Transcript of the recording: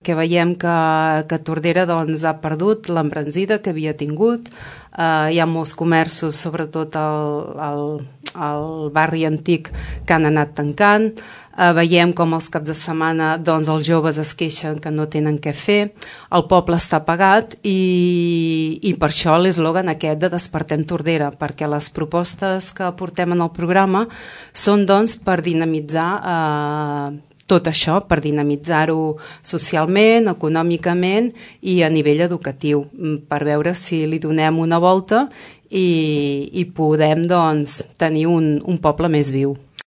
que veiem que Tordera doncs, ha perdut l'embranzida que havia tingut. Hi ha molts comerços, sobretot al barri antic, que han anat tancant. Veiem com els caps de setmana doncs, els joves es queixen que no tenen què fer, el poble està apagat i per això l'eslògan aquest de Despertem Tordera, perquè les propostes que portem en el programa són doncs, per dinamitzar tot això, per dinamitzar-ho socialment, econòmicament i a nivell educatiu, per veure si li donem una volta i podem doncs, tenir un poble més viu.